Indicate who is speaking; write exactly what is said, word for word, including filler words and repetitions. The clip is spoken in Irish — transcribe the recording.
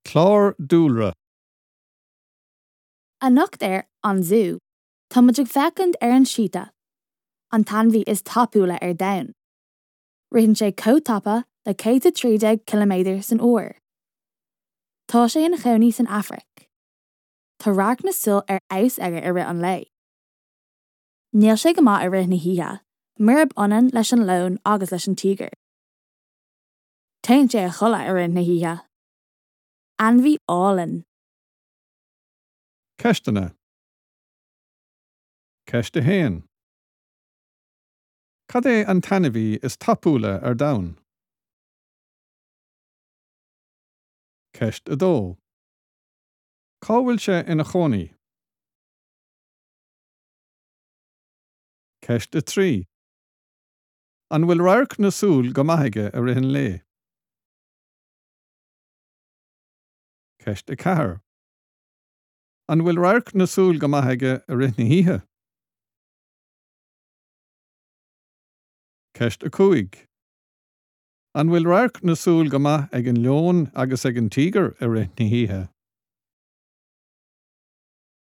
Speaker 1: Clár dúlra.
Speaker 2: Anocht ar An Zú, Tá muid ag féachaint ar an síta, an t-ainmhí is tapúla ar domhan. Ritheann sé chomh tapa le céad a trí déag ciliméadar san uair. Tá sé ina chónaí san Afraic. Tá radharc na súl ar fheabhas aige i rith an lae. Níl sé go maith i rith na hoíche, murab ionann leis an leon agus leis an tíogar. Téann sé a chodladh i rith na hoíche. Ainmhí álainn.
Speaker 1: Ceisteanna. Ceist a haon. Cad é an t-ainmhí is tapúla ar domhan? Ceist a dó. Cá bhfuil sé ina chónaí? Ceist a trí. An bhfuil radharc na súl go maith aige i rith an lae? Ceist a ceathair. An bhfuil radharc na súl go maith aige i rith na hoíche? Ceist a cúig. An bhfuil radharc na súl go maith ag an leon agus ag an tíogar i rith na hoíche?